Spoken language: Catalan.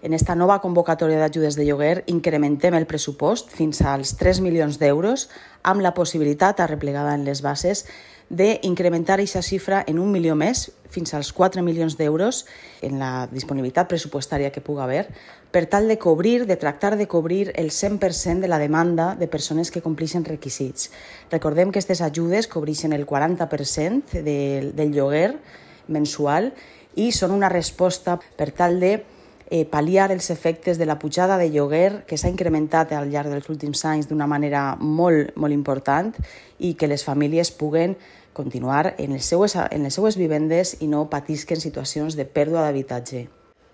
En esta nova convocatòria d'ajudes de lloguer incrementem el pressupost fins als 3 milions d'euros amb la possibilitat, arreplegada en les bases, d'incrementar aquesta xifra en 1 milió més, fins als 4 milions d'euros en la disponibilitat pressupostària que pugui haver, per tal de tractar de cobrir el 100% de la demanda de persones que complixen requisits. Recordem que aquestes ajudes cobreixen el 40% del lloguer mensual i són una resposta per tal de pal·liar els efectes de la pujada de lloguer que s'ha incrementat al llarg dels últims anys d'una manera molt important i que les famílies puguen continuar en les seues vivendes i no patisquen situacions de pèrdua d'habitatge.